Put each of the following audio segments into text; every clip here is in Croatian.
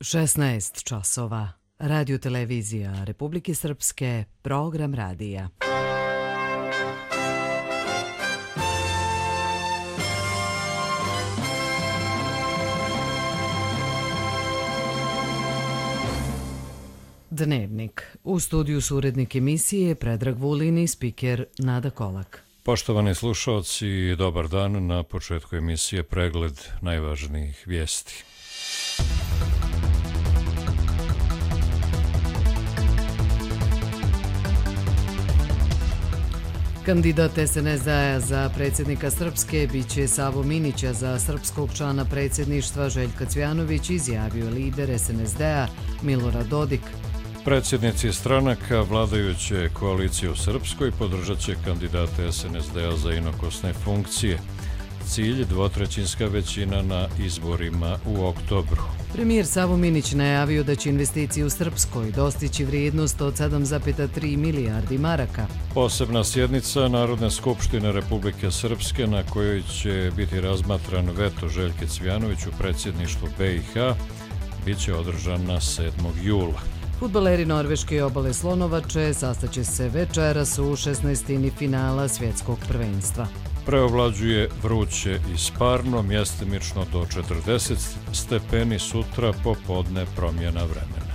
16 časova. Radio televizija Republike Srpske, program radija. Dnevnik. U studiju su urednik emisije Predrag Vulin i spiker Nada Kolak. Poštovani slušalci, dobar dan. Na početku emisije pregled najvažnijih vijesti. Kandidat SNSD-a za predsjednika Srpske biće Savo Minića, za srpskog člana predsjedništva Željka Cvijanović izjavio lider SNSD-a Milorad Dodik. Predsjednici stranaka vladajuće koalicije u Srpskoj podržat će kandidate SNSD-a za inokosne funkcije. Cilj dvotrećinska većina na izborima u oktobru. Premijer Savo Minić najavio da će investicije u Srpskoj dostići vrijednost od 7,3 milijardi maraka. Posebna sjednica Narodne skupštine Republike Srpske na kojoj će biti razmatran veto Željke Cvijanović u predsjedništvu BiH bit će održana 7. jula. Fudbaleri Norveške obale Slonovače sastaće se večeras u 16. finala svjetskog prvenstva. Preovlađuje vruće i sparno, mjestimično do 40 stepeni, sutra popodne promjena vremena.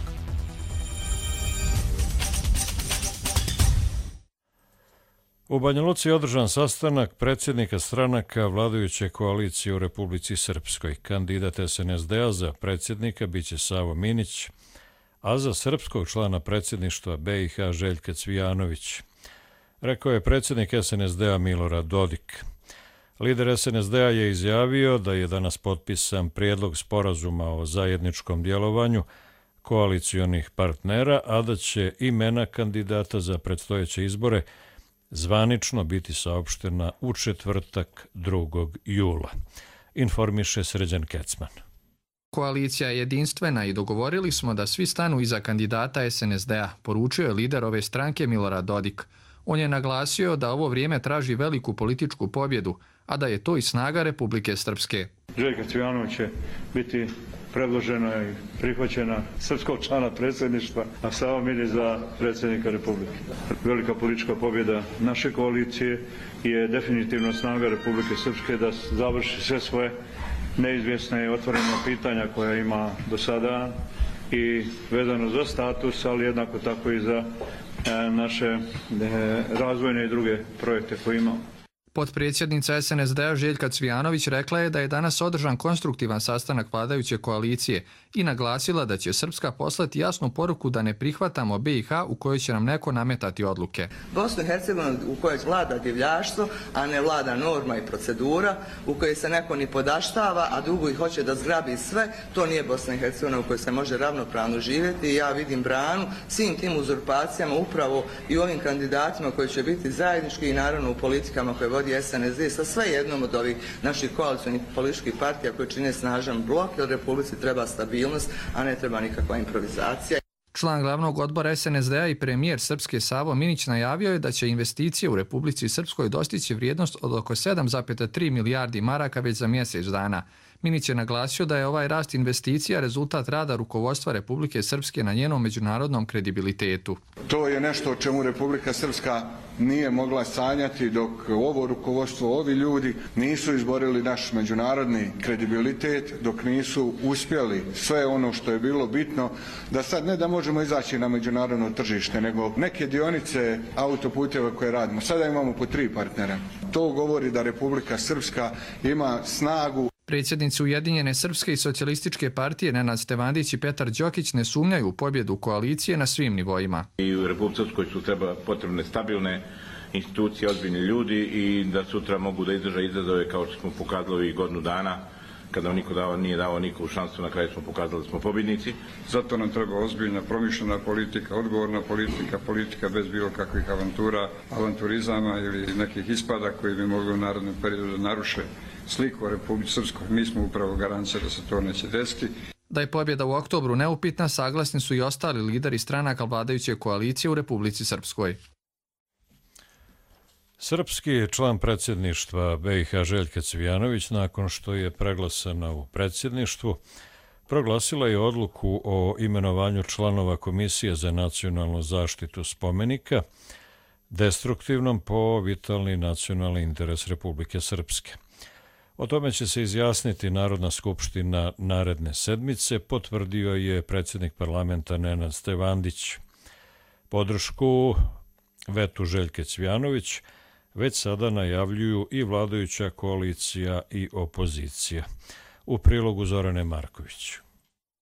U Banja Luci je održan sastanak predsjednika stranaka vladajuće koalicije u Republici Srpskoj. Kandidat SNSD-a za predsjednika biće Savo Minić, a za srpskog člana predsjedništva BiH Željka Cvijanović, rekao je predsjednik SNSD-a Milorad Dodik. Lider SNSD-a je izjavio da je danas potpisan prijedlog sporazuma o zajedničkom djelovanju koalicionih partnera, a da će imena kandidata za predstojeće izbore zvanično biti saopštena u četvrtak 2. jula. Informiše Srđan Kecman. Koalicija je jedinstvena i dogovorili smo da svi stanu iza kandidata SNSD-a, poručio je lider ove stranke Milorad Dodik. On je naglasio da ovo vrijeme traži veliku političku pobjedu, a da je to i snaga Republike Srpske. Željka Cvijanović će biti predložena i prihvaćena srpskog člana predsjedništva, a Savo Minić za predsjednika Republike. Velika politička pobjeda naše koalicije je definitivno snaga Republike Srpske da završi sve svoje neizvjesne i otvorena pitanja koja ima do sada i vezano za status, ali jednako tako i za naše razvojne i druge projekte koje imamo. Potpredsjednica SNSD-a Željka Cvijanović rekla je da je danas održan konstruktivan sastanak vladajuće koalicije i naglasila da će Srpska poslati jasnu poruku da ne prihvatamo BiH u kojoj će nam neko nametati odluke. Bosnu i Hercegovinu u kojoj vlada divljaštvo, a ne vlada norma i procedura, u kojoj se neko ni podaštava, a drugo i hoće da zgrabi sve, to nije Bosna i Hercegovina u kojoj se može ravnopravno živjeti i ja vidim branu svim tim uzurpacijama upravo i ovim kandidatima koji će biti zajednički i naravno u politikama koje vodi SNSD sa sve jednom od ovih naših koalicionih političkih partija koji čine snažan blok, jer Republici treba stabilnost, a ne treba nikakva improvizacija. Član glavnog odbora SNSD-a i premijer Srpske Savo Minić najavio je da će investicije u Republici Srpskoj dostići vrijednost od oko 7,3 milijardi maraka već za mjesec dana. Minić je naglasio da je ovaj rast investicija rezultat rada rukovodstva Republike Srpske na njenom međunarodnom kredibilitetu. To je nešto o čemu Republika Srpska nije mogla sanjati dok ovo rukovodstvo, ovi ljudi nisu izborili naš međunarodni kredibilitet, dok nisu uspjeli sve ono što je bilo bitno, da sad ne da možemo izaći na međunarodno tržište, nego neke dionice autoputeva koje radimo. Sada imamo po 3 partnera. To govori da Republika Srpska ima snagu. Predsjednici Ujedinjene Srpske i socijalističke partije Nenad Stevandić i Petar Đokić ne sumnjaju u pobjedu koalicije na svim nivoima. I u Republici Srpskoj su potrebne stabilne institucije, ozbiljni ljudi i da sutra mogu da izdrže izazove kao što smo pokazali i godinu dana kada niko nije dao nikovu šansu, na kraju smo pokazali da smo pobjednici. Zato nam treba ozbiljna, promišljena politika, odgovorna politika, politika bez bilo kakvih avanturizama ili nekih ispada koji bi mogli u narednom periodu da naruše sliku o Republici Srpskoj. Mi smo upravo garancija da se to neće desiti. Da je pobjeda u oktobru neupitna, saglasni su i ostali lideri stranaka vladajuće koalicije u Republici Srpskoj. Srpski član predsjedništva BiH Željka Cvijanović, nakon što je preglasana u predsjedništvu, proglasila je odluku o imenovanju članova Komisije za nacionalnu zaštitu spomenika destruktivnom po vitalni nacionalni interes Republike Srpske. O tome će se izjasniti Narodna skupština naredne sedmice, potvrdio je predsjednik parlamenta Nenad Stevandić. Podršku vetu Željke Cvjanović već sada najavljuju i vladajuća koalicija i opozicija. U prilogu Zorane Marković.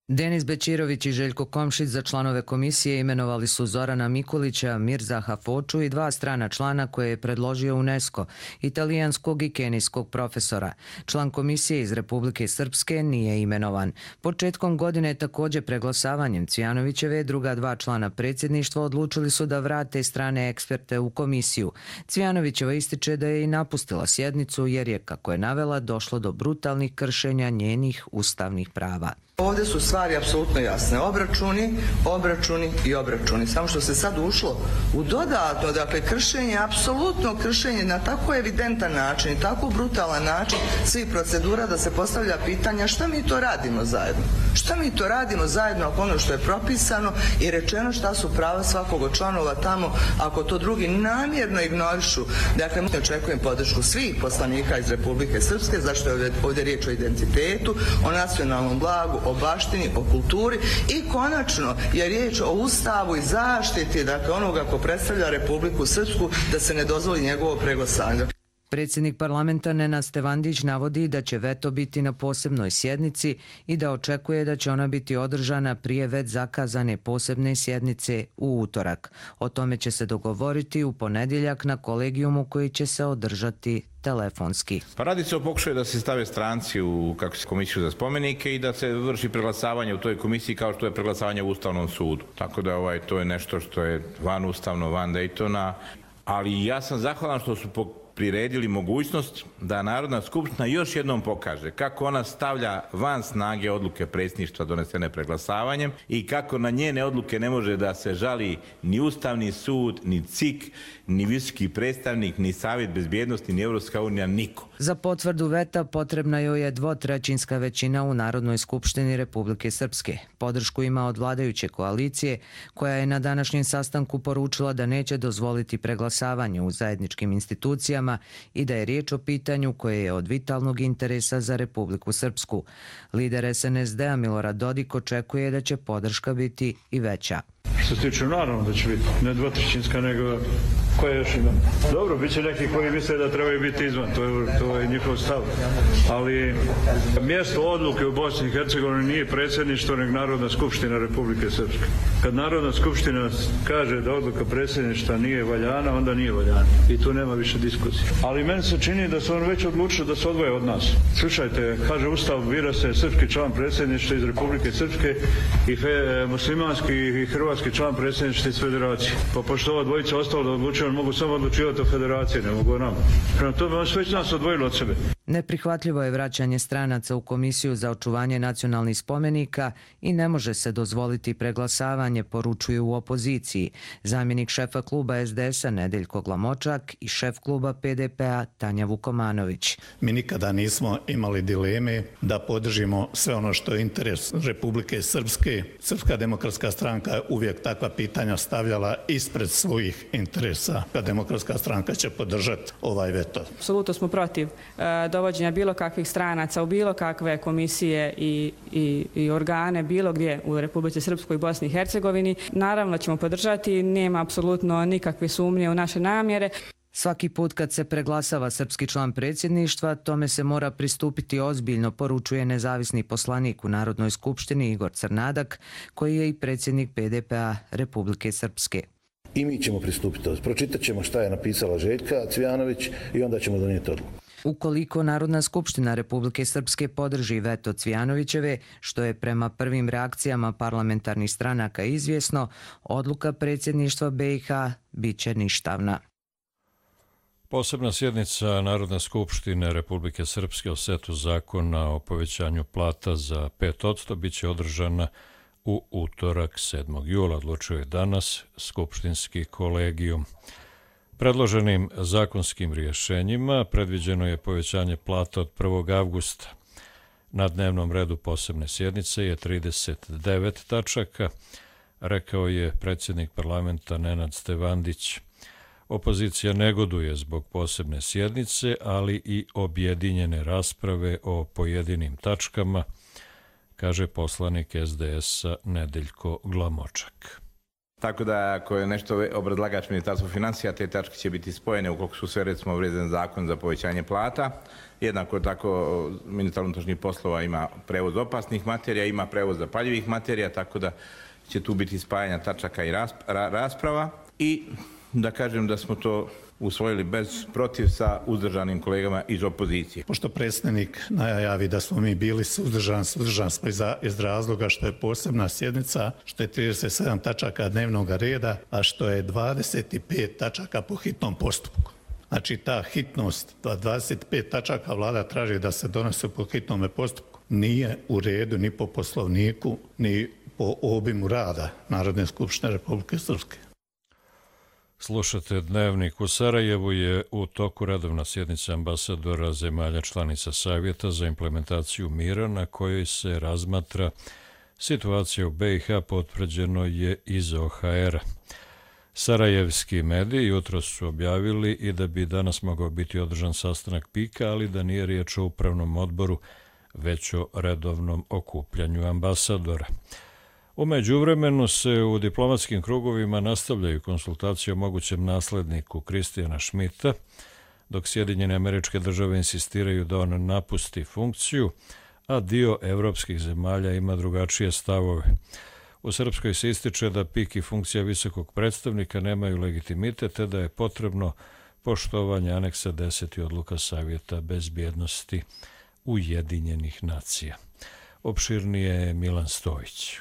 Denis Bećirović i Željko Komšić za članove komisije imenovali su Zorana Mikulića, Mirzaha Foču i 2 strana člana koje je predložio UNESCO, italijanskog i kenijskog profesora. Član komisije iz Republike Srpske nije imenovan. Početkom godine također preglasavanjem Cvjanovićeve druga 2 člana predsjedništva odlučili su da vrate strane eksperte u komisiju. Cvjanovićeva ističe da je i napustila sjednicu jer je, kako je navela, došlo do brutalnih kršenja njenih ustavnih prava. Ovdje su stvari apsolutno jasne. Obračuni i obračuni. Samo što se sad ušlo u dodatno, dakle, kršenje, apsolutno kršenje na tako evidentan način i tako brutalan način svih procedura da se postavlja pitanja šta mi to radimo zajedno. Šta mi to radimo zajedno ako ono što je propisano i rečeno šta su prava svakog od članova tamo, ako to drugi namjerno ignorišu. Dakle, očekujem podršku svih poslanika iz Republike Srpske, zašto je ovdje riječ o identitetu, o nacionalnom blagu, o baštini, o kulturi i konačno je riječ o ustavu i zaštiti, dakle, onoga ko predstavlja Republiku Srpsku, da se ne dozvoli njegovo preglasavanje. Predsjednik parlamenta Nenad Stevandić navodi da će veto biti na posebnoj sjednici i da očekuje da će ona biti održana prije već zakazane posebne sjednice u utorak. O tome će se dogovoriti u ponedjeljak na kolegijumu koji će se održati telefonski. Pa radi se o pokušaju da se stave stranci u komisiju za spomenike i da se vrši preglasavanje u toj komisiji kao što je preglasavanje u Ustavnom sudu. Tako da to je nešto što je van ustavno, van Daytona, ali ja sam zahvalan što su priredili mogućnost da Narodna skupština još jednom pokaže kako ona stavlja van snage odluke predsjedništva donesene preglasavanjem i kako na njene odluke ne može da se žali ni Ustavni sud, ni CIK, ni visoki predstavnik, ni Savjet bezbjednosti, ni Evropska unija, niko. Za potvrdu veta potrebna joj je 2/3 većina u Narodnoj skupštini Republike Srpske. Podršku ima od vladajuće koalicije, koja je na današnjem sastanku poručila da neće dozvoliti preglasavanje u zajedničkim institucijama i da je riječ o pitanju koje je od vitalnog interesa za Republiku Srpsku. Lider SNSD-a Milorad Dodik očekuje da će podrška biti i veća. Što se tiče, naravno da će biti, ne 2/3, nego koje još ima. Dobro, bit će neki koji misle da trebaju biti izvan, to je njihov stav. Ali mjesto odluke u Bosni i Hercegovini nije predsjedništvo, nego Narodna skupština Republike Srpske. Kad Narodna skupština kaže da odluka predsjedništva nije valjana, onda nije valjana. I tu nema više diskusije. Ali meni se čini da su oni već odlučili da se odvoje od nas. Slušajte, kaže Ustav, bira se srpski član predsjedništva iz Republike Srpske i muslimanski i hrvatski član predsjedništva iz Federacije. Pa pošto ova dvojica ostalo da odlučuju, mogu samo odlučivati o Federaciji, ne mogu o nama. Prema tome, on već nas odvojilo od sebe. Neprihvatljivo je vraćanje stranaca u Komisiju za očuvanje nacionalnih spomenika i ne može se dozvoliti preglasavanje, poručuju u opoziciji. Zamjenik šefa kluba SDS-a Nedeljko Glamočak i šef kluba PDP-a Tanja Vukomanović. Mi nikada nismo imali dileme da podržimo sve ono što je interes Republike Srpske. Srpska demokratska stranka je uvijek takva pitanja stavljala ispred svojih interesa. Demokratska stranka će podržati ovaj veto. Apsolutno smo protiv dovođenja bilo kakvih stranaca u bilo kakve komisije i organe bilo gdje u Republici Srpskoj i Bosni i Hercegovini. Naravno ćemo podržati, nema apsolutno nikakve sumnje u naše namjere. Svaki put kad se preglasava srpski član predsjedništva, tome se mora pristupiti ozbiljno, poručuje nezavisni poslanik u Narodnoj skupštini Igor Crnadak, koji je i predsjednik PDP-a Republike Srpske. I mi ćemo pristupiti. Pročitat ćemo šta je napisala Željka Cvjanović i onda ćemo donijeti odluku. Ukoliko Narodna skupština Republike Srpske podrži veto Cvjanovićeve, što je prema prvim reakcijama parlamentarnih stranaka izvjesno, odluka predsjedništva BiH bit će ništavna. Posebna sjednica Narodne skupštine Republike Srpske o setu zakona o povećanju plata za 5% bit će održana u utorak 7. jula, odlučuje danas skupštinski kolegijum. Predloženim zakonskim rješenjima predviđeno je povećanje plata od 1. avgusta. Na dnevnom redu posebne sjednice je 39 tačaka, rekao je predsjednik parlamenta Nenad Stevandić. Opozicija negoduje zbog posebne sjednice, ali i objedinjene rasprave o pojedinim tačkama, kaže poslanik SDS-a Nedeljko Glamočak. Tako da ako je nešto obrazlagač Ministarstva financija, te tačke će biti spojene ukoliko su sve recimo vredan zakon za povećanje plata. Jednako tako ministar unutrašnjih poslova ima prevoz opasnih materija, ima prevoz zapaljivih materija, tako da će tu biti spajanja tačaka i rasprava. I da kažem da smo to usvojili bez protiv sa uzdržanim kolegama iz opozicije. Pošto predsjednik najavi da smo mi bili suzdržani smo iz razloga što je posebna sjednica, što je 37 tačaka dnevnog reda, a što je 25 tačaka po hitnom postupku. Znači ta hitnost, 25 tačaka vlada traži da se donese po hitnom postupku, nije u redu ni po poslovniku, ni po obimu rada Narodne skupštine Republike Srpske. Slušate Dnevnik. U Sarajevu je u toku redovna sjednica ambasadora zemalja članica Savjeta za implementaciju mira na kojoj se razmatra situacija u BiH, potvrđeno je iz OHR-a. Sarajevski mediji jutros su objavili i da bi danas mogao biti održan sastanak PIK-a, ali da nije riječ o upravnom odboru, već o redovnom okupljanju ambasadora. U međuvremenu se u diplomatskim krugovima nastavljaju konsultacije o mogućem nasledniku Kristijana Šmita, dok Sjedinjene Američke Države insistiraju da on napusti funkciju, a dio evropskih zemalja ima drugačije stavove. U Srpskoj se ističe da PIK i funkcija visokog predstavnika nemaju legitimitet, te da je potrebno poštovanje aneksa 10 odluka Savjeta bezbjednosti Ujedinjenih nacija. Opširnije je Milan Stojić.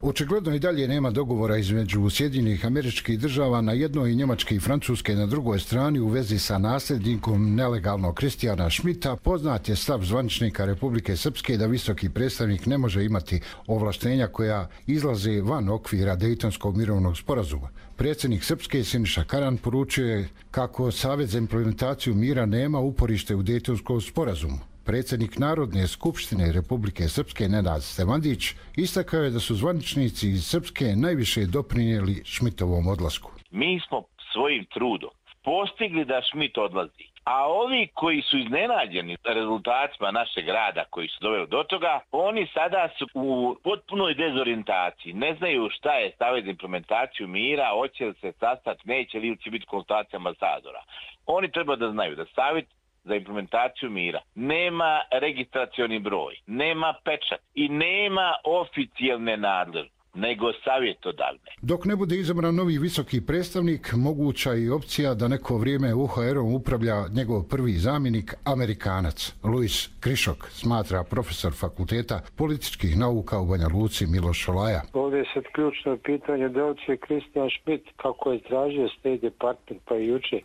Očigledno i dalje nema dogovora između Sjedinjenih Američkih Država na jednoj i Njemačke i Francuske na drugoj strani u vezi sa nasljednikom nelegalnog Kristijana Šmita. Poznat je stav zvaničnika Republike Srpske da visoki predstavnik ne može imati ovlaštenja koja izlaze van okvira Dejtonskog mirovnog sporazuma. Predsjednik Srpske Siniša Karan poručio je kako Savjet za implementaciju mira nema uporište u Dejtonskom sporazumu. Predsjednik Narodne skupštine Republike Srpske Nenad Stevandić istakao je da su zvaničnici iz Srpske najviše doprinijeli Šmitovom odlasku. Mi smo svojim trudom postigli da Šmit odlazi, a ovi koji su iznenađeni rezultatima našeg rada koji su doveli do toga, oni sada su u potpunoj dezorijentaciji. Ne znaju šta je Savjet za implementaciju mira, hoće li se sastati, neće li će biti konsultacija ambasadora. Oni treba da znaju da Savjet za implementaciju mira nema registracioni broj, nema pečat i nema oficijalne nadležnosti, nego savjetodavne. Dok ne bude izabran novi visoki predstavnik, moguća je opcija da neko vrijeme UHR-om upravlja njegov prvi zamjenik, Amerikanac. Luis Krišok, smatra profesor Fakulteta političkih nauka u Banja Luci Miloš Šolaja. Ovdje je sad ključno pitanje da li će Kristijan Šmit, kako je tražio State Department pa i juče,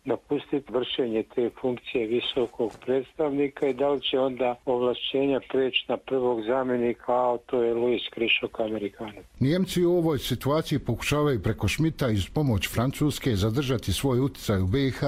napustiti vršenje te funkcije visokog predstavnika i da li će onda ovlašćenja preći na prvog zamjenika, a to je Luis Krišok, Amerikanac. Njemci u ovoj situaciji pokušavaju preko Šmita iz pomoć Francuske zadržati svoj utjecaj u BiH,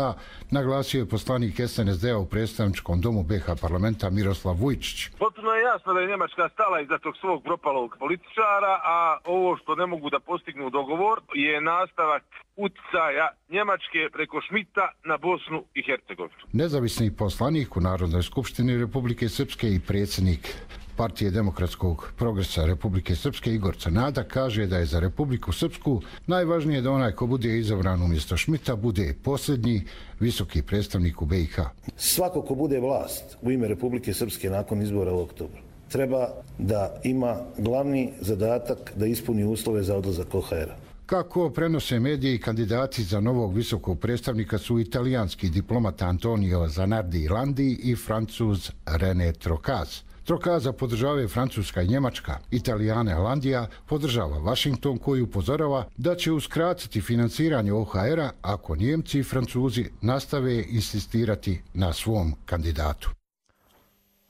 naglasio je poslanik SNSD-a u predstavničkom domu BiH parlamenta Miroslav Vujčić. Potpuno je jasno da je Njemačka stala iza tog svog propalog političara, a ovo što ne mogu da postignu dogovor je nastavak utjecaja Njemačke preko Šmita na Bosnu i Hercegovinu. Nezavisni poslanik u Narodnoj skupštini Republike Srpske i predsjednik Partije demokratskog progresa Republike Srpske Igor Crnada kaže da je za Republiku Srpsku najvažnije da onaj ko bude izabran umjesto Šmita bude posljednji visoki predstavnik u BiH. Svako ko bude vlast u ime Republike Srpske nakon izbora u oktobru treba da ima glavni zadatak da ispuni uslove za odlazak OHR-a. Kako prenose mediji, kandidati za novog visokog predstavnika su italijanski diplomat Antonio Zanardi Landi i Francuz René Trocaz. Trocaza podržavaju Francuska i Njemačka. Italijane Landija podržava Washington koji upozorava da će uskratiti financiranje OHR-a ako Njemci i Francuzi nastave insistirati na svom kandidatu.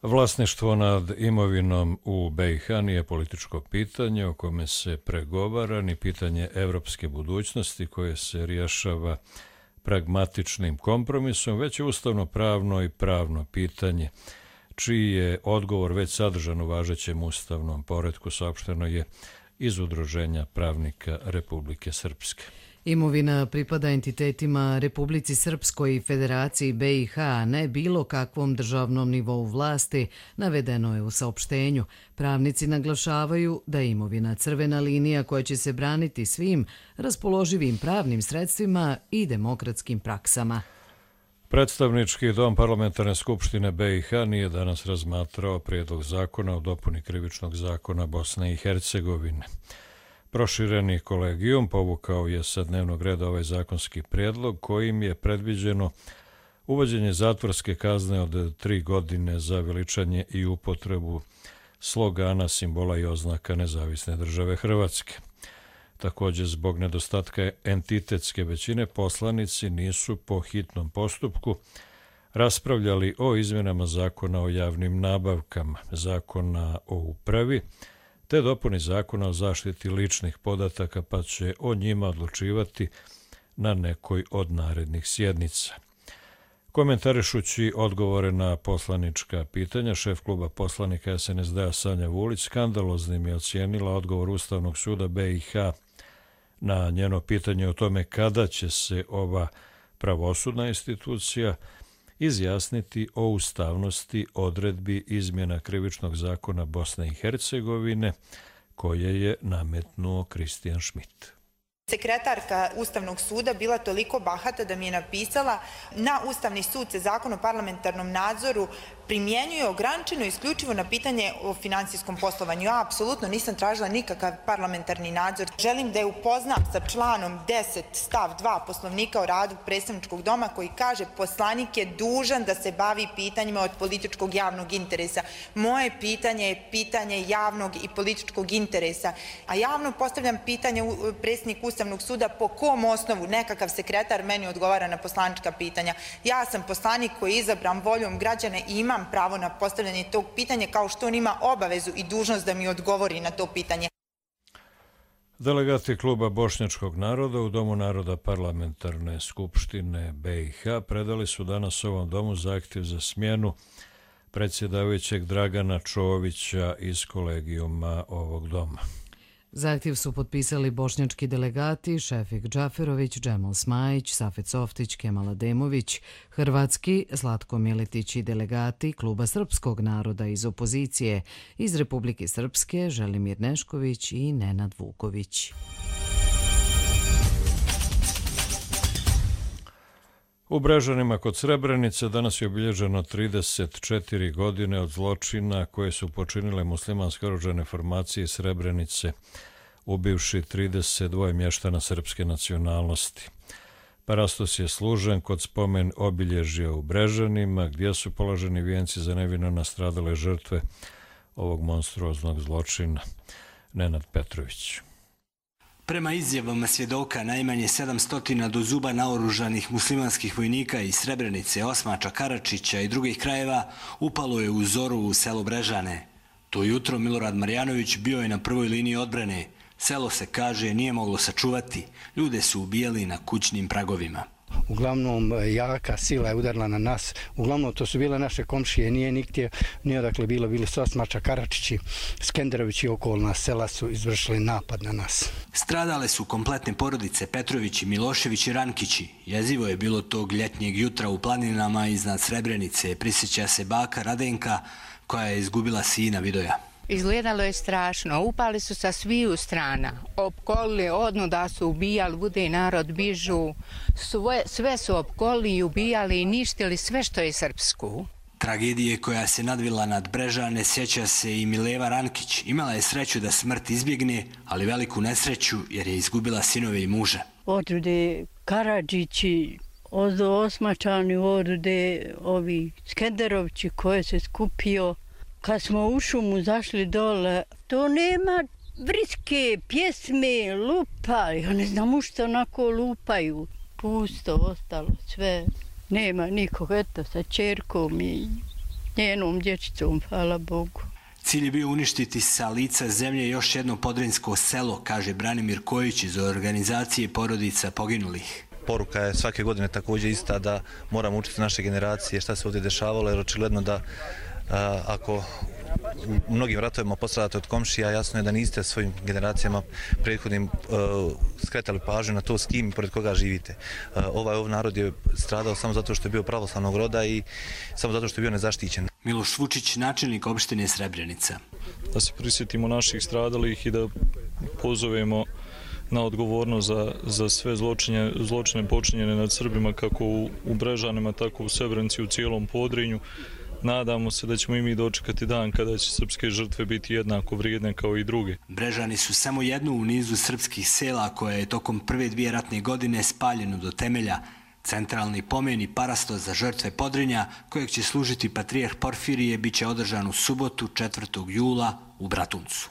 Vlasništvo nad imovinom u BiH nije političko pitanje o kome se pregovara, ni pitanje evropske budućnosti koje se rješava pragmatičnim kompromisom, već je ustavno-pravno i pravno pitanje, čiji je odgovor već sadržan u važećem ustavnom poretku, saopšteno je iz Udruženja pravnika Republike Srpske. Imovina pripada entitetima Republici Srpskoj i Federaciji BiH, ne bilo kakvom državnom nivou vlasti, navedeno je u saopštenju. Pravnici naglašavaju da je imovina crvena linija koja će se braniti svim raspoloživim pravnim sredstvima i demokratskim praksama. Predstavnički dom Parlamentarne skupštine BiH nije danas razmatrao prijedlog zakona o dopuni Krivičnog zakona Bosne i Hercegovine. Prošireni kolegijum povukao je sa dnevnog reda ovaj zakonski prijedlog kojim je predviđeno uvođenje zatvorske kazne od 3 godine za veličanje i upotrebu slogana, simbola i oznaka Nezavisne države Hrvatske. Također, zbog nedostatka entitetske većine, poslanici nisu po hitnom postupku raspravljali o izmjenama zakona o javnim nabavkama, zakona o upravi, te dopuni zakona o zaštiti ličnih podataka, pa će o njima odlučivati na nekoj od narednih sjednica. Komentarišući odgovore na poslanička pitanja, šef kluba poslanika SNSD-a Sanja Vulić skandaloznim je ocijenila odgovor Ustavnog suda BiH na njeno pitanje o tome kada će se ova pravosudna institucija izjasniti o ustavnosti odredbi izmjena Krivičnog zakona Bosne i Hercegovine koje je nametnuo Kristijan Schmidt. Sekretarka Ustavnog suda bila toliko bahata da mi je napisala: na Ustavni sud se zakon o parlamentarnom nadzoru primjenjuje ograničeno isključivo na pitanje o finansijskom poslovanju. Ja apsolutno nisam tražila nikakav parlamentarni nadzor. Želim da je upoznam sa članom 10 stav 2 Poslovnika o radu predstavničkog doma koji kaže: poslanik je dužan da se bavi pitanjima od političkog javnog interesa. Moje pitanje je pitanje javnog i političkog interesa. A javno postavljam pitanje predsjedniku Ustavnog suda: po kom osnovu nekakav sekretar meni odgovara na poslanička pitanja? Ja sam poslanik koji je izabran voljom građana i imam pravo na postavljanje tog pitanja, kao što on ima obavezu i dužnost da mi odgovori na to pitanje. Delegati kluba Bošnjačkog naroda u Domu naroda Parlamentarne skupštine BiH predali su danas ovom domu zahtjev za smjenu predsjedavajućeg Dragana Čovića iz kolegijuma ovog doma. Zahtjev su potpisali bošnjački delegati Šefik Džaferović, Džemal Smajić, Safet Softić, Kemal Ademović, hrvatski Zlatko Miletić i delegati kluba Srpskog naroda iz opozicije iz Republike Srpske Želimir Nešković i Nenad Vuković. U Brežanima kod Srebrenice danas je obilježeno 34 godine od zločina koje su počinile muslimanske oružane formacije iz Srebrenice, ubivši 32 mještana srpske nacionalnosti. Parastos je služen kod spomen obilježja u Brežanima, gdje su položeni vijenci za nevino nastradale žrtve ovog monstruoznog zločina. Nenad Petrović. Prema izjavama svjedoka, najmanje 700 do zuba naoružanih muslimanskih vojnika iz Srebrenice, Osmača, Karačića i drugih krajeva upalo je u zoru u selo Brežane. To jutro Milorad Marjanović bio je na prvoj liniji odbrane. Selo se, kaže, nije moglo sačuvati. Ljude su ubijali na kućnim pragovima. Uglavnom jaka sila je udarila na nas. Uglavnom to su bile naše komšije, nije odakle bili su Osmača, Karačići, Skenderović i okolna sela su izvršili napad na nas. Stradale su kompletne porodice Petrovići, Milošević i Rankići. Jezivo je bilo tog ljetnjeg jutra u planinama iznad Srebrenice. Prisjeća se baka Radenka koja je izgubila sina Vidoja. Izgledalo je strašno. Upali su sa sviju strana. Opkolili, odnuda su ubijali, bude narod bižu. Sve su opkolili i ubijali i ništili sve što je srpsku. Tragedije koja se nadvila nad Brežane sjeća se i Mileva Rankić. Imala je sreću da smrt izbjegne, ali veliku nesreću jer je izgubila sinove i muža. Odude Karadžići, Osmačani, odude ovi Skenderovći koje se skupio. Kad smo u šumu zašli dole, to nema vriske, pjesme, lupa. Ja ne znam u što onako lupaju. Pusto ostalo sve. Nema nikog, eto, sa čerkom i njenom dječicom, hvala Bogu. Cilj je bio uništiti sa lica zemlje još jedno podrinjsko selo, kaže Branimir Kojić iz organizacije porodica poginulih. Poruka je svake godine također ista da moramo učiti naše generacije šta se ovdje dešavalo, jer očigledno da Ako u mnogim ratovima postradate od komšija, jasno je da niste svojim generacijama prethodnim skretali pažnju na to s kim i pored koga živite. Ovaj narod je stradao samo zato što je bio pravoslavnog roda i samo zato što je bio nezaštićen. Miloš Vučić, načelnik opštine Srebrenica. Da se prisjetimo naših stradalih i da pozovemo na odgovornost za sve zločine počinjene nad Srbima kako u Brežanima, tako u Srebrenici, u cijelom Podrinju. Nadamo se da ćemo i mi dočekati dan kada će srpske žrtve biti jednako vrijedne kao i druge. Brežani su samo jedno u nizu srpskih sela koje je tokom prve 2 ratne godine spaljeno do temelja. Centralni pomen i parasto za žrtve Podrinja, kojeg će služiti patrijarh Porfirije, bit će održan u subotu 4. jula u Bratuncu.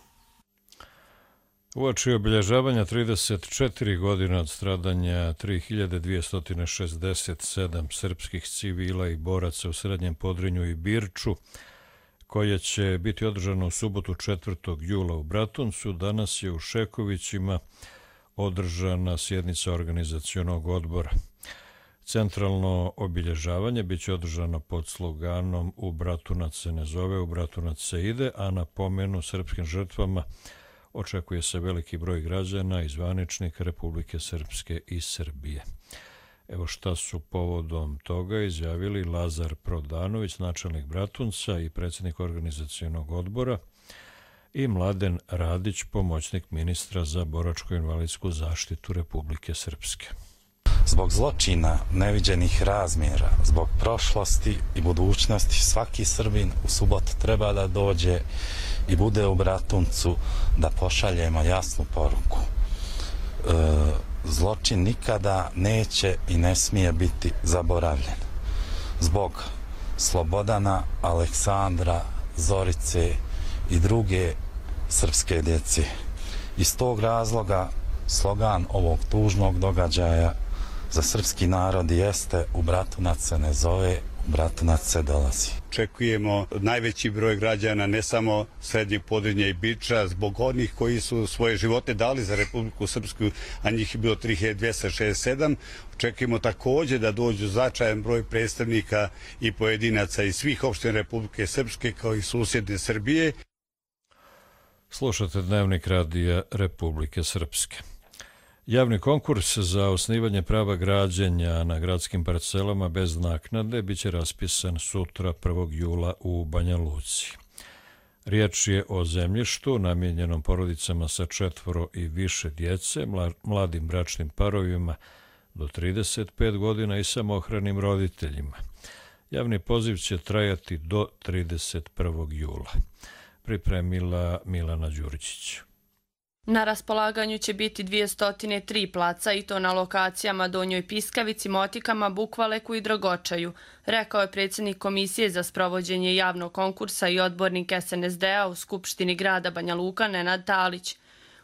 Uoči obilježavanja 34 godine od stradanja 3267 srpskih civila i boraca u Srednjem Podrinju i Birču, koje će biti održano u subotu 4. jula u Bratuncu, danas je u Šekovićima održana sjednica organizacionog odbora. Centralno obilježavanje biće održano pod sloganom "U Bratunac se ne zove, u Bratunac se ide", a na pomenu srpskim žrtvama očekuje se veliki broj građana i zvaničnika Republike Srpske i Srbije. Evo šta su povodom toga izjavili Lazar Prodanović, načelnik Bratunca i predsjednik organizacionog odbora, i Mladen Radić, pomoćnik ministra za boračko-invalidsku zaštitu Republike Srpske. Zbog zločina neviđenih razmjera, zbog prošlosti i budućnosti, svaki Srbin u subotu treba da dođe i bude u Bratuncu da pošaljemo jasnu poruku. Zločin nikada neće i ne smije biti zaboravljen. Zbog Slobodana, Aleksandra, Zorice i druge srpske djece. Iz tog razloga slogan ovog tužnog događaja za srpski narod jeste "U Bratunac se ne zove, u Bratunac se dolazi". Očekujemo najveći broj građana, ne samo Srednjeg Podrinja i Biča, zbog onih koji su svoje živote dali za Republiku Srpsku, a njih je bilo 3267. Očekujemo također da dođu značajan broj predstavnika i pojedinaca iz svih opština Republike Srpske kao i susjedne Srbije. Slušate Dnevnik radija Republike Srpske. Javni konkurs za osnivanje prava građenja na gradskim parcelama bez naknade biće raspisan sutra 1. jula u Banja Luci. Riječ je o zemljištu namijenjenom porodicama sa 4 i više djece, mladim bračnim parovima do 35 godina i samohranim roditeljima. Javni poziv će trajati do 31. jula. Pripremila Milana Đuričić. Na raspolaganju će biti 203 placa i to na lokacijama Donjoj Piskavici, Motikama, Bukvaleku i Dragočaju, rekao je predsjednik Komisije za sprovođenje javnog konkursa i odbornik SNSD-a u Skupštini grada Banja Luka Nenad Talić.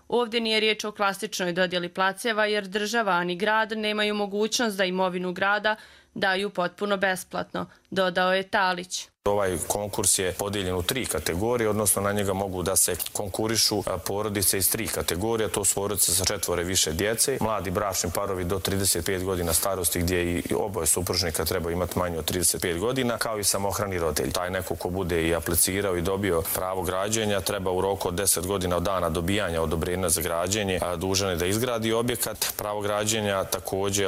Ovdje nije riječ o klasičnoj dodjeli placeva jer država ani grad nemaju mogućnost da imovinu grada daju potpuno besplatno, dodao je Talić. Ovaj konkurs je podijeljen u 3 kategorije, odnosno na njega mogu da se konkurišu porodice iz 3 kategorije, to su porodice sa 4 i više djece, mladi bračni parovi do 35 godina starosti gdje i oboje supružnika treba imati manje od 35 godina, kao i samohrani roditelj. Taj neko ko bude i aplicirao i dobio pravo građenja treba u roku od 10 godina od dana dobijanja odobrenja za građenje dužan je da izgradi objekat. Pravo građenja također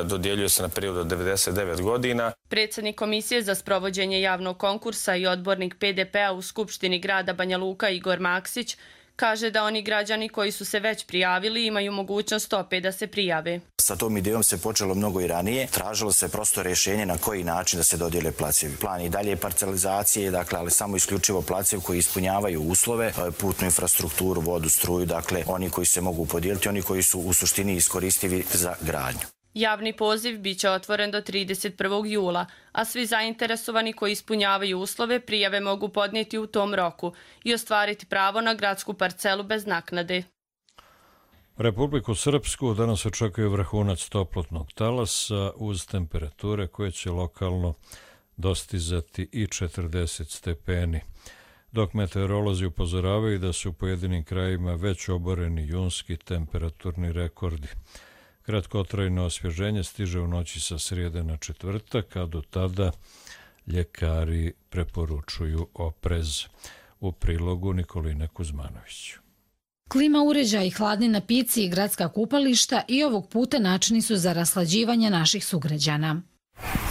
dodjeljuje se na period od 99 godina. Predsjednik Komisije za sprovođenje javnog konkursa i odbornik PDP-a u Skupštini grada Banja Luka Igor Maksić kaže da oni građani koji su se već prijavili imaju mogućnost opet da se prijave. Sa tom idejom se počelo mnogo i ranije. Tražilo se prosto rješenje na koji način da se dodijele placevi. Plan i dalje parcelizacije, ali samo isključivo placevi koji ispunjavaju uslove, putnu infrastrukturu, vodu, struju, oni koji se mogu podijeliti, oni koji su u suštini iskoristivi za gradnju. Javni poziv biće otvoren do 31. jula, a svi zainteresovani koji ispunjavaju uslove prijave mogu podnijeti u tom roku i ostvariti pravo na gradsku parcelu bez naknade. Republiku Srpsku danas očekuje vrhunac toplotnog talasa uz temperature koje će lokalno dostizati i 40 stepeni, dok meteorolozi upozoravaju da su u pojedinim krajima već oboreni junski temperaturni rekordi. Kratkotrajno osvježenje stiže u noći sa srijede na četvrtak, a do tada ljekari preporučuju oprez. U prilogu Nikoline Kuzmanović. Klima uređaji, hladni napici i gradska kupališta i ovog puta načini su za raslađivanje naših sugrađana.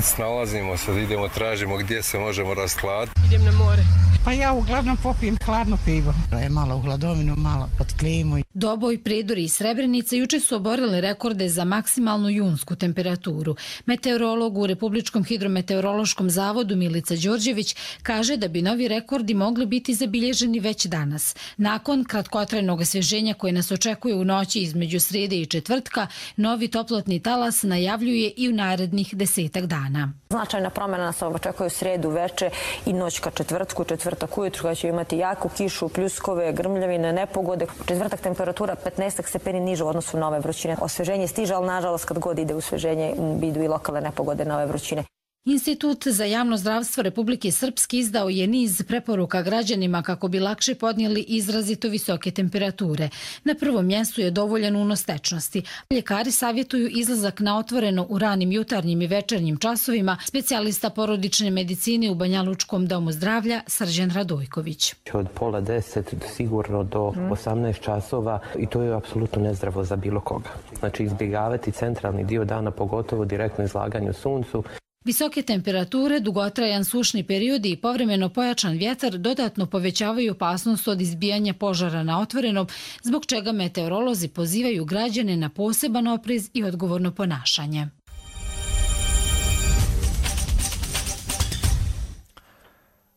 Snalazimo se, idemo, tražimo gdje se možemo rashladiti. Idem na more. Pa ja uglavnom popijem hladno pivo. Malo u hladovinu, malo pod klimu. Doboj, Prijedor i Srebrenica juče su oborili rekorde za maksimalnu junsku temperaturu. Meteorolog u Republičkom hidrometeorološkom zavodu Milica Đorđević kaže da bi novi rekordi mogli biti zabilježeni već danas. Nakon kratkotrajnog osvježenja koje nas očekuje u noći između srijede i četvrtka, novi toplotni talas najavljuje i u narednih 10 dana. Značajna promjena nas očekuje u srijedu veče i noć ka četvrtku, četvrtak ujutru kada će imati jaku kišu, pljuskove, grmljavine, nepogode. Četvrtak temperatura 15 stepeni niža u odnosu na ove vrućine. Osveženje stiže, ali nažalost kad god ide usveženje idu i lokalne nepogode na ove vrućine. Institut za javno zdravstvo Republike Srpske izdao je niz preporuka građanima kako bi lakše podnijeli izrazito visoke temperature. Na prvom mjestu je dovoljan unos tečnosti. Ljekari savjetuju izlazak na otvoreno u ranim jutarnjim i večernjim časovima, specijalista porodične medicine u Banjalučkom domu zdravlja Srđan Radojković. Od 9:30 sigurno do 18 časova i to je apsolutno nezdravo za bilo koga. Znači izbjegavati centralni dio dana, pogotovo direktno izlaganju suncu. Visoke temperature, dugotrajan sušni periodi i povremeno pojačan vjetar dodatno povećavaju opasnost od izbijanja požara na otvorenom, zbog čega meteorolozi pozivaju građane na poseban oprez i odgovorno ponašanje.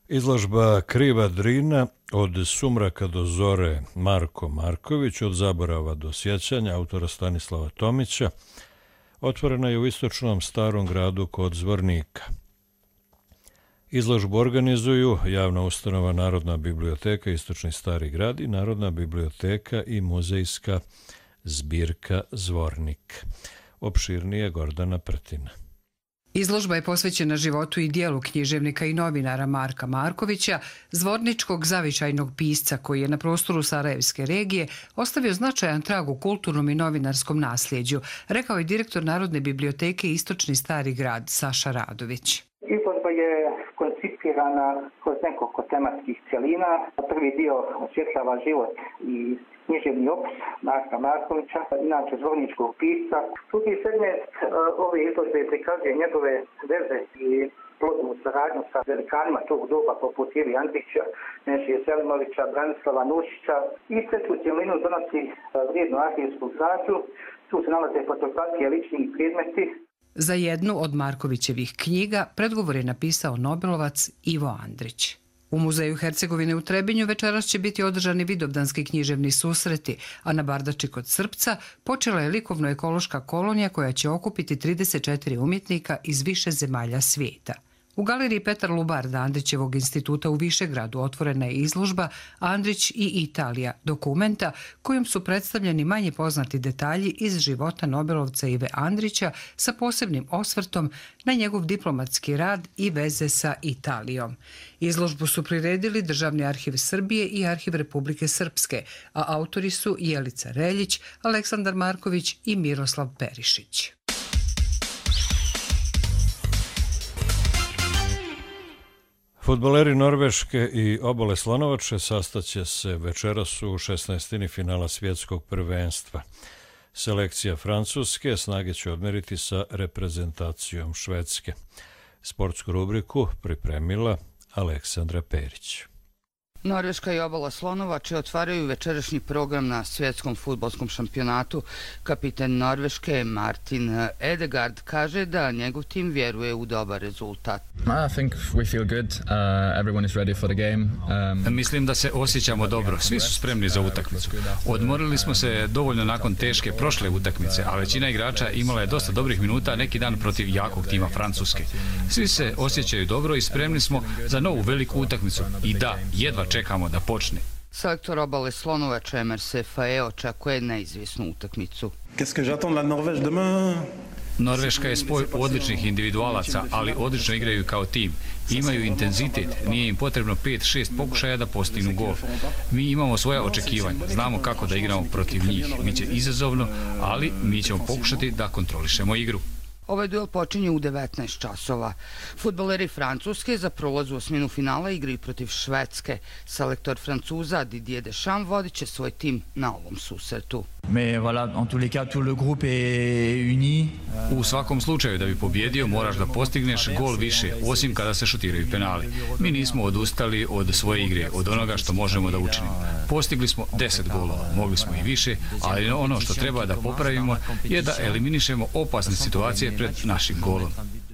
Izložba Kriva Drina od sumraka do zore Marko Marković, od zaborava do sjećanja autora Stanislava Tomića, otvorena je u istočnom Starom gradu kod Zvornika. Izložbu organizuju javna ustanova Narodna biblioteka Istočni Stari grad i Narodna biblioteka i muzejska zbirka Zvornik. Opširnije Gordana Prtina. Izložba je posvećena životu i dijelu književnika i novinara Marka Markovića, zvorničkog zavičajnog pisca koji je na prostoru Sarajevske regije ostavio značajan trag u kulturnom i novinarskom nasljeđu, rekao je direktor Narodne biblioteke Istočni Stari grad Saša Radović. Izložba je koncipirana kroz nekoliko tematskih cjelina. Prvi dio osvjetljava život i književni opus Marka Markovića, inače zvorničkog pisca. Drugi segment ove izložbe prikazuje njegove veze i plodnu saradnju sa velikanima tog doba poput Ivi Andrića, Nešije Selimovića, Branislava Nušića i treću cjelinu donosi vrijednu arhivsku građu. Tu se nalaze fotografije, lični predmeti. Za jednu od Markovićevih knjiga predgovor je napisao nobelovac Ivo Andrić. U Muzeju Hercegovine u Trebinju večeras će biti održani vidovdanski književni susreti, a na Bardači kod Srpca počela je likovno-ekološka kolonija koja će okupiti 34 umjetnika iz više zemalja svijeta. U galeriji Petar Lubarda Andrićevog instituta u Višegradu otvorena je izložba Andrić i Italija, dokumenta kojom su predstavljeni manje poznati detalji iz života nobelovca Ive Andrića sa posebnim osvrtom na njegov diplomatski rad i veze sa Italijom. Izložbu su priredili Državni arhiv Srbije i Arhiv Republike Srpske, a autori su Jelica Reljić, Aleksandar Marković i Miroslav Perišić. Fudbaleri Norveške i Obale Slonovače sastaće se večeras u 16. finala svjetskog prvenstva. Selekcija Francuske snage će odmeriti sa reprezentacijom Švedske. Sportsku rubriku pripremila Aleksandra Perić. Norveška i Obala Slonovače otvaraju večerašnji program na svjetskom fudbalskom šampionatu. Kapitan Norveške Martin Edegaard kaže da njegov tim vjeruje u dobar rezultat. Mislim da se osjećamo dobro, svi su spremni za utakmicu. Odmorili smo se dovoljno nakon teške prošle utakmice, a većina igrača imala je dosta dobrih minuta neki dan protiv jakog tima Francuske. Svi se osjećaju dobro i spremni smo za novu veliku utakmicu. I da, jedva čekamo da počne. Selektor Obale Slonovače Emer Sefae očekuje neizvjesnu utakmicu. Norveška je spoj odličnih individualaca, ali odlično igraju kao tim. Imaju intenzitet, nije im potrebno 5-6 pokušaja da postignu gol. Mi imamo svoja očekivanja, znamo kako da igramo protiv njih. Biće izazovno, ali mi ćemo pokušati da kontrolišemo igru. Ovaj duel počinje u 19 časova. Fudbaleri Francuske za prolaz u osminu finala igraju protiv Švedske. Selektor Francuza Didier Deschamps vodit će svoj tim na ovom susretu. U svakom slučaju da bi pobjedio moraš da postigneš gol više, osim kada se šutiraju penali. Mi nismo odustali od svoje igre, od onoga što možemo da učinimo. Postigli smo 10 golova, mogli smo i više, ali ono što treba da popravimo je da eliminišemo opasne situacije pred našim golom.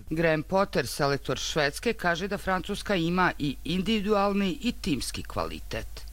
Graham Potter, selektor Švedske, kaže da Francuska ima i individualni i timski kvalitet.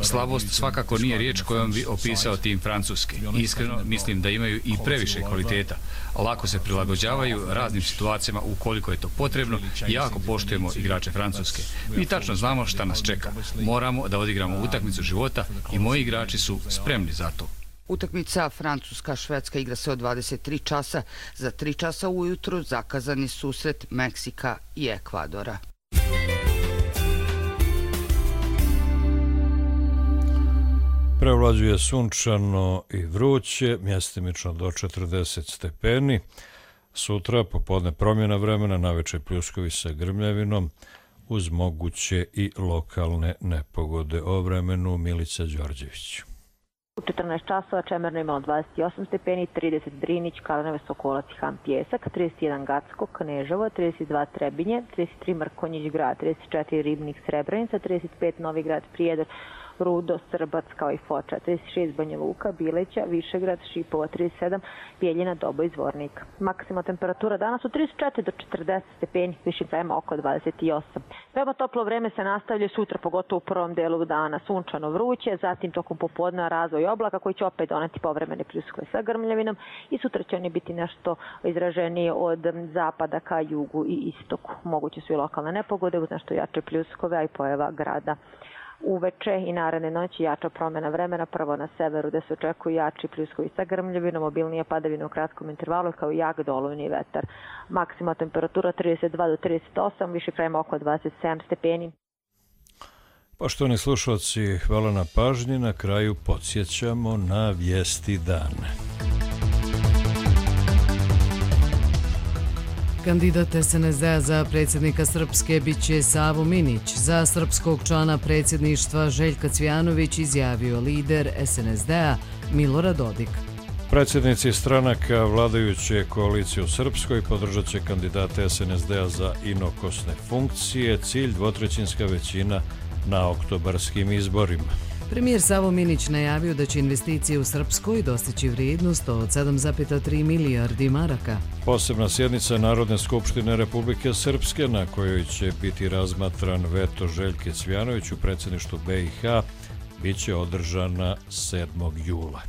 Slabost svakako nije riječ kojom bi opisao tim Francuske. Iskreno mislim da imaju i previše kvaliteta. Lako se prilagođavaju raznim situacijama ukoliko je to potrebno i jako poštujemo igrače Francuske. Mi tačno znamo šta nas čeka. Moramo da odigramo utakmicu života i moji igrači su spremni za to. Utakmica Francuska-Švedska igra se od 23 časa. Za 3 časa ujutru zakazani susret Meksika i Ekvadora. Prevlađuje sunčano i vruće, mjestimično do 40 stepeni. Sutra popodne promjena vremena, navečer pljuskovi sa grmljavinom, uz moguće i lokalne nepogode. O vremenu Milica Đorđević. U 14 časova Čemerno imalo 28 stepeni, 30 Drinić, Kalanovac, Sokolac i Han Pjesak, 31 Gacko, Kneževo, 32 Trebinje, 33 Mrkonjić Grad, 34 Ribnik Srebrenica, 35 Novi Grad Prijedor, Rudo, Srbac kao i Foča, 36 Banja Luka, Bileća, Višegrad, Šipova, 37, Bijeljina, Dobo i Zvornik. Maksimalna temperatura danas od 34 do 40 stepeni, višim krajima oko 28. Veoma toplo vreme se nastavlja sutra, pogotovo u prvom delu dana, sunčano vruće, zatim tokom popodneva razvoj oblaka koji će opet doneti povremene pljuskove sa grmljavinom i sutra će oni biti nešto izraženije od zapada ka jugu i istoku. Moguće su i lokalne nepogode uz nešto jače pljuskove, a i pojava grada. Uveče i naredne noći jača promjena vremena, prvo na severu gde se očekuju jači pljuskovi sa grmljavinom, obilnije padavine u kratkom intervalu kao i jak dolujni vetar. Maksimalna temperatura 32 do 38, više krajima oko 27 stepeni. Poštovani slušalci, hvala na pažnji. Na kraju podsjećamo na vijesti dana. Kandidat SNSD-a za predsjednika Srpske biće Savo Minić. Za srpskog člana predsjedništva Željka Cvijanović izjavio lider SNSD-a Milorad Dodik. Predsjednici stranaka vladajuće koalicije u Srpskoj podržat će kandidate SNSD-a za inokosne funkcije. Cilj dvotrećinska većina na oktobarskim izborima. Premijer Savo Minić najavio da će investicije u Srpskoj dostići vrijednost od 7,3 milijardi maraka. Posebna sjednica Narodne skupštine Republike Srpske na kojoj će biti razmatran veto Željke Cvijanović u predsjedništvu BiH biće održana 7. jula.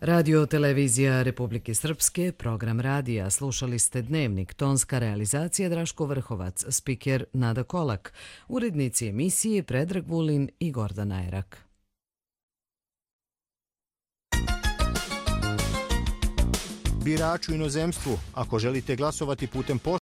Radio televizija Republike Srpske, program radija. Slušali ste Dnevnik, tonska realizacija Draško Vrhovac, spiker Nada Kolak, urednici emisije Predrag Vulin i Gordana Erak. Biraču inozemstvu, ako želite glasovati putem pošte,